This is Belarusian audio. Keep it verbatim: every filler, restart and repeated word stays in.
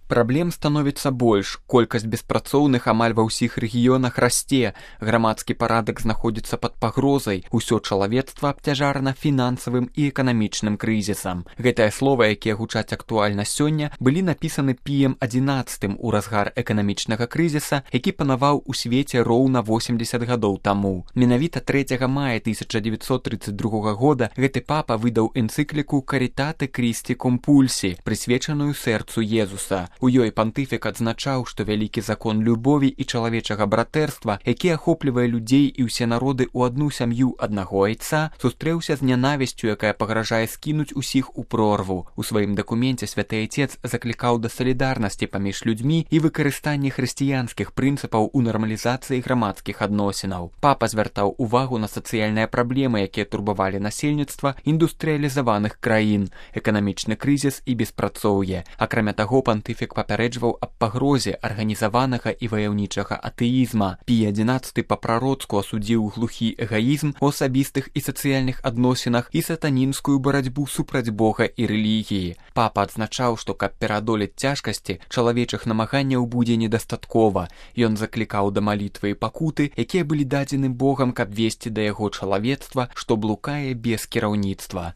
Праблем становіцца больш, колькасць беспрацоўных амаль ва ўсіх рэгіёнах расце, грамадскі парадак знаходзіцца пад пагрозай, усё чалавецтва абцяжарана фінансавым і эканамічным крызісам. Гэтыя словы, якія гучаць актуальна сёння, былі напісаны Піем адзінаццатым у разгар эканамічнага крызіса, які панаваў у свеце роўна восемдзесят гадоў таму. Менавіта трэцяга мая тысяча дзевяцьсот трыццаць другога года гэты папа выдаў энцыкліку «Каритате Christi cum pulsi», прысвечаную сэрцу Езуса. У ёй пантыфік адзначаў, што вялікі закон любові і чалавечага братэрства, які ахоплівае людзей і ўсе народы ў адну сям'ю аднаго айца, сустрэўся з нянавісцю, якая пагражае скінуць усіх у прорву. У сваім дакуменце святы айцец заклікаў да салідарнасці паміж людзьмі і выкарыстанні хрысціянскіх прынцыпаў у нармалізацыі грамадскіх адносінаў. Папа звяртаў увагу на сацыяльныя праблемы, якія турбавалі насельніцтва індустрыялізаваных краін, эканамічны крызіс і беспрацоўе. Акрамя таго, пантыфік папярэджваў аб пагрозе арганізаванага і ваяўнічага атэізма. Пій адзінаццаты па-прароцку асудзіў глухі эгаізм у асабістых і сацыяльных адносінах і сатанінскую барацьбу супраць Бога і рэлігіі. Папа адзначаў, што каб пераадолець цяжкасці, чалавечых намаганняў будзе недастаткова. Ён заклікаў да малітвы і пакуты, якія былі дадзены Богам, каб весці да яго чалавецтва, што блукае без кіраўніцтва.